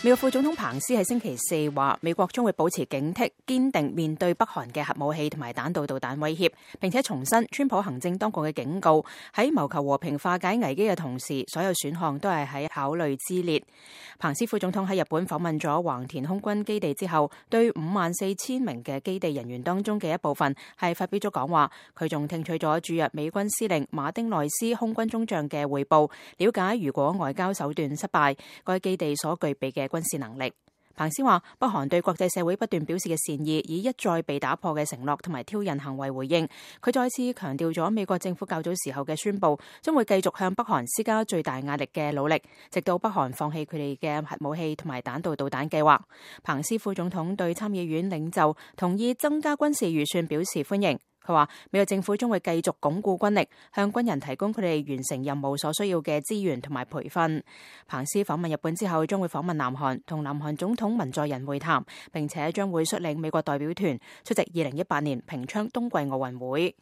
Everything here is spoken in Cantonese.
美國副總統彭斯喺星期四話，美國將會保持警惕，堅定面對北韓嘅核武器同埋彈道導彈威脅，並且重申川普行政當局嘅警告，喺謀求和平化解危機嘅同時，所有選項都係喺考慮之列。彭斯副總統喺日本訪問咗橫田空軍基地之後，對54,000名嘅基地人員當中嘅一部分係發表咗講話，佢仲聽取咗駐日美軍司令馬丁內斯空軍中將嘅匯報，了解如果外交手段失敗，該基地所具備嘅軍事能力。彭斯話，北韓對國際社會不斷表示嘅善意，以一再被打破嘅承諾同埋挑釁行為回應。佢再次強調咗美國政府較早時候嘅宣佈，將會繼續向北韓施加最大壓力嘅努力，直到北韓放棄佢哋嘅核武器同埋彈道導彈計劃。彭斯副總統對參議院領袖同意增加軍事預算表示歡迎。佢話，美國政府將會繼續鞏固軍力，向軍人提供佢哋完成任務所需要嘅資源同埋培訓。彭斯訪問日本之後，將會訪問南韓，同南韓總統文在寅會談，並且將會率領美國代表團出席2018年平昌冬季奧運會。